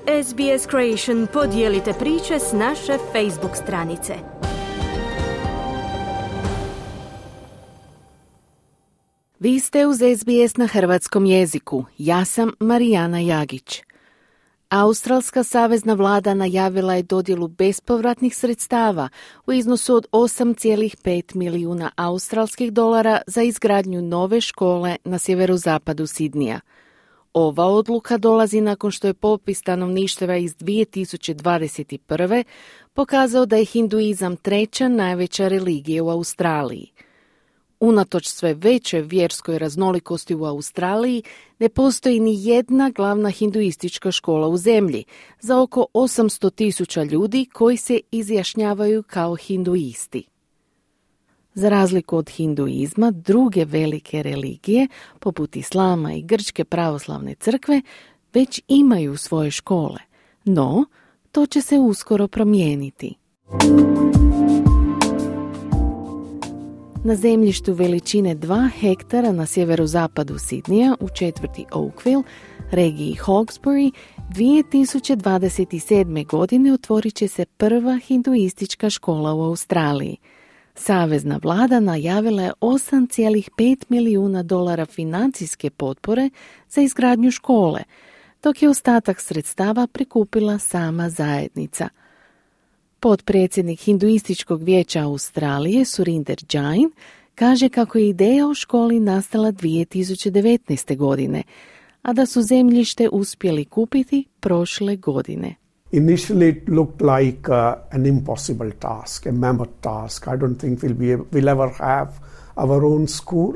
SBS Creation, podijelite priče s naše Facebook stranice. Vi ste uz SBS na hrvatskom jeziku. Ja sam Marijana Jagić. Australska savezna vlada najavila je dodjelu bespovratnih sredstava u iznosu od 8,5 milijuna australskih dolara za izgradnju nove škole na sjeverozapadu Sidnija. Ova odluka dolazi nakon što je popis stanovništva iz 2021. pokazao da je hinduizam treća najveća religija u Australiji. Unatoč sve većoj vjerskoj raznolikosti u Australiji, ne postoji ni jedna glavna hinduistička škola u zemlji za oko 800,000 ljudi koji se izjašnjavaju kao hinduisti. Za razliku od hinduizma, druge velike religije, poput islama i grčke pravoslavne crkve, već imaju svoje škole. No, to će se uskoro promijeniti. Na zemljištu veličine 2 hektara na sjeverozapadu Sidnija u četvrti Oakville, regiji Hawkesbury, 2027. godine otvorit će se prva hinduistička škola u Australiji. Savezna vlada najavila je 8,5 milijuna dolara financijske potpore za izgradnju škole, dok je ostatak sredstava prikupila sama zajednica. Potpredsjednik Hinduističkog vijeća Australije, Surinder Jain, kaže kako je ideja o školi nastala 2019. godine, a da su zemljište uspjeli kupiti prošle godine. Initially it looked like an impossible task, a mammoth task. I don't think we'll ever have our own school.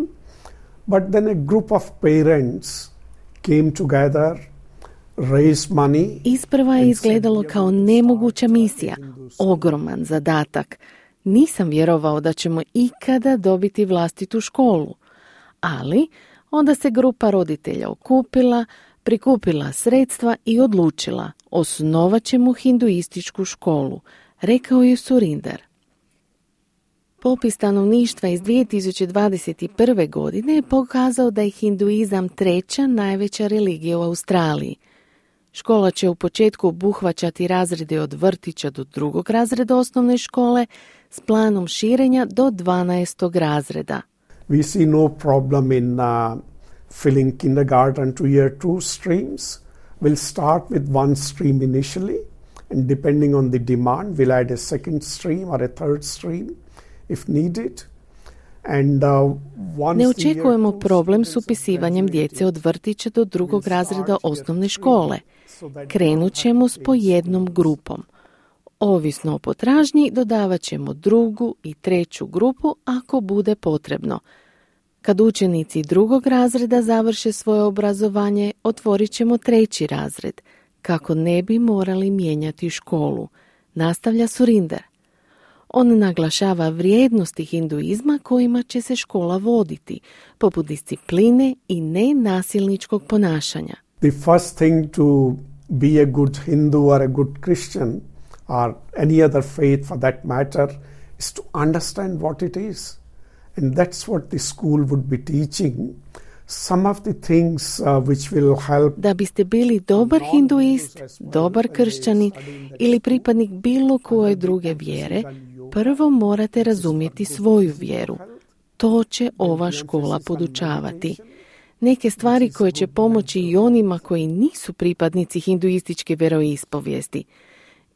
But then a group of parents came together, raised money. Isprva je izgledalo kao nemoguća misija, ogroman zadatak. Nisam vjerovao da ćemo ikada dobiti vlastitu školu. Ali onda se grupa roditelja okupila, prikupila sredstva i odlučila, osnovat ćemo hinduističku školu, rekao je Surinder. Popis stanovništva iz 2021. godine je pokazao da je hinduizam treća najveća religija u Australiji. Škola će u početku obuhvaćati razrede od vrtića do 2. razreda osnovne škole s planom širenja do 12. razreda. We see no problem in filling kindergarten to year 2 streams. We'll start with one stream initially, and depending on the demand, we'll add a second stream or a third stream if needed. Ne očekujemo problem s upisivanjem djece od vrtića do 2. razreda osnovne škole. Krenut ćemo s po jednom grupom. Ovisno o potražnji dodavat ćemo 2. i 3. grupu ako bude potrebno. Kad učenici 2. razreda završe svoje obrazovanje, otvorit ćemo 3. razred, kako ne bi morali mijenjati školu, nastavlja Surinder. On naglašava vrijednosti hinduizma kojima će se škola voditi, poput discipline i nenasilničkog ponašanja. The first thing to be a good Hindu or a good Christian or any other faith for that matter is to understand what it is. And that's what the school would be teaching. Some of the things which will help. Da biste bili dobar hinduist, dobar kršćanin ili pripadnik bilo koje druge vjere, prvo morate razumjeti svoju vjeru. To će ova škola podučavati. Neke stvari koje će pomoći i onima koji nisu pripadnici hinduističke vjeroispovijesti.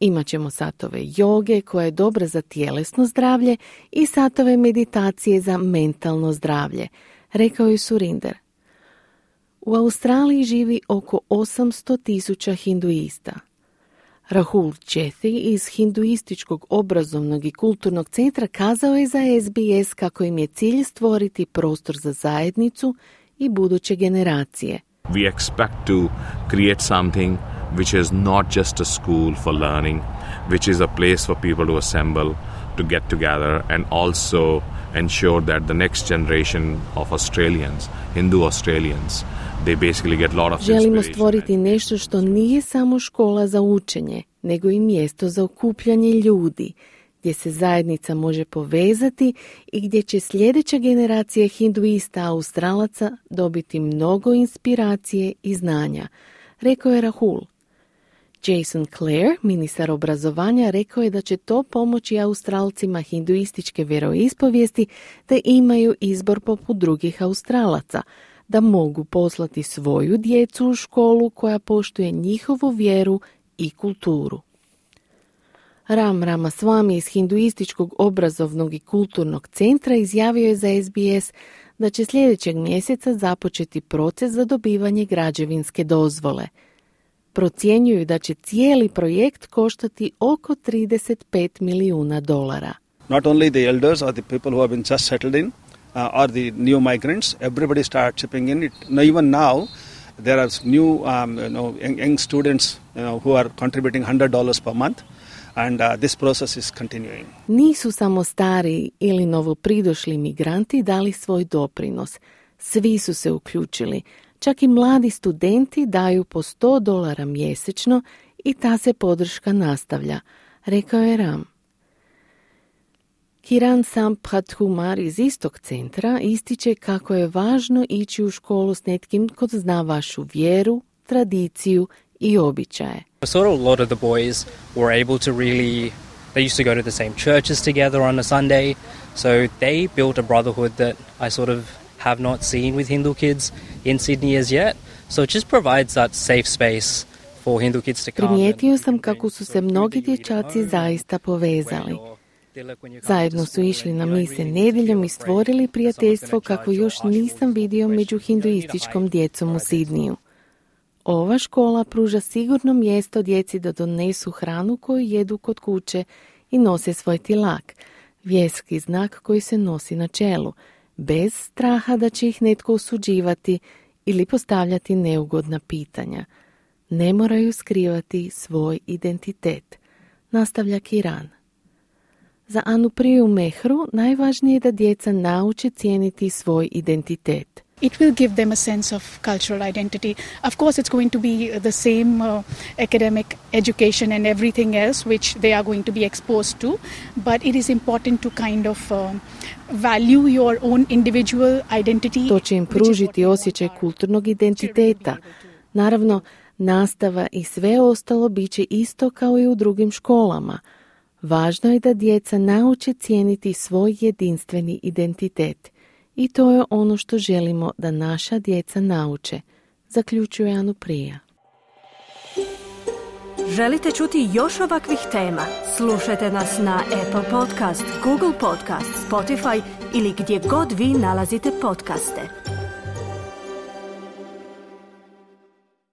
Imaćemo satove joge koja je dobra za tjelesno zdravlje i satove meditacije za mentalno zdravlje, rekao je Surinder. U Australiji živi oko 800,000 hinduista. Rahul Chethi iz Hinduističkog obrazovnog i kulturnog centra kazao je za SBS kako im je cilj stvoriti prostor za zajednicu i buduće generacije. We expect to create something which is not just a school for learning, which is a place for people to assemble, to get together and also ensure that the next generation of Australians, Hindu Australians, they basically get a lot of inspiration. Želimo stvoriti nešto što nije samo škola za učenje, nego i mjesto za okupljanje ljudi, gdje se zajednica može povezati i gdje će sljedeća generacija hinduista Australaca dobiti mnogo inspiracije i znanja, rekao je Rahul. Jason Clare, ministar obrazovanja, rekao je da će to pomoći Australcima hinduističke vjeroispovijesti da imaju izbor poput drugih Australaca, da mogu poslati svoju djecu u školu koja poštuje njihovu vjeru i kulturu. Ram Ramaswamy iz Hinduističkog obrazovnog i kulturnog centra izjavio je za SBS da će sljedećeg mjeseca započeti proces za dobivanje građevinske dozvole. Procjenjuju da će cijeli projekt koštati oko $35 milijuna. Not only the elders or the people who have been just settled in or the new migrants, everybody starts chipping in. Even now, there are new young students who are contributing $100 per month. And this process is continuing. Nisu samo stari ili novopridošli migranti dali svoj doprinos. Svi su se uključili. Čak i mladi studenti daju po $100 mjesečno i ta se podrška nastavlja, rekao je Ram. Kiran Sampradkumar iz istog centra ističe kako je važno ići u školu s netkim ko zna vašu vjeru, tradiciju i običaje. Sort of a lot of the boys were able to really, they used to go to the same churches together on a Sunday, so they built a brotherhood that I sort of have not seen with Hindu kids in Sydney as yet. So it just provides that safe space for Hindu kids to come. Primijetio sam kako su se mnogi dječaci zaista povezali. Zajedno su išli na mise nedjeljom i stvorili prijateljstvo kako još nisam vidio među hinduističkom djecom u Sidniju. Ova škola pruža sigurno mjesto djeci da donesu hranu koju jedu kod kuće i nose svoj tilak, vjerski znak koji se nosi na čelu, bez straha da će ih netko osuđivati ili postavljati neugodna pitanja. Ne moraju skrivati svoj identitet, nastavlja Kiran. Za Anupriju Mehru najvažnije je da djeca nauče cijeniti svoj identitet. It will give them a sense of cultural identity. Of course, it's going to be the same academic education and everything else which they are going to be exposed to, but it is important to kind of value your own individual identity. To će im pružiti osjećaj kulturnog identiteta. Naravno, nastava i sve ostalo bit će isto kao i u drugim školama. Važno je da djeca nauče cijeniti svoj jedinstveni identitet. I to je ono što želimo da naša djeca nauče, zaključuje Anuprija. Želite čuti još ovakvih tema? Slušajte nas na Apple Podcast, Google Podcast, Spotify ili gdje god vi nalazite podcaste.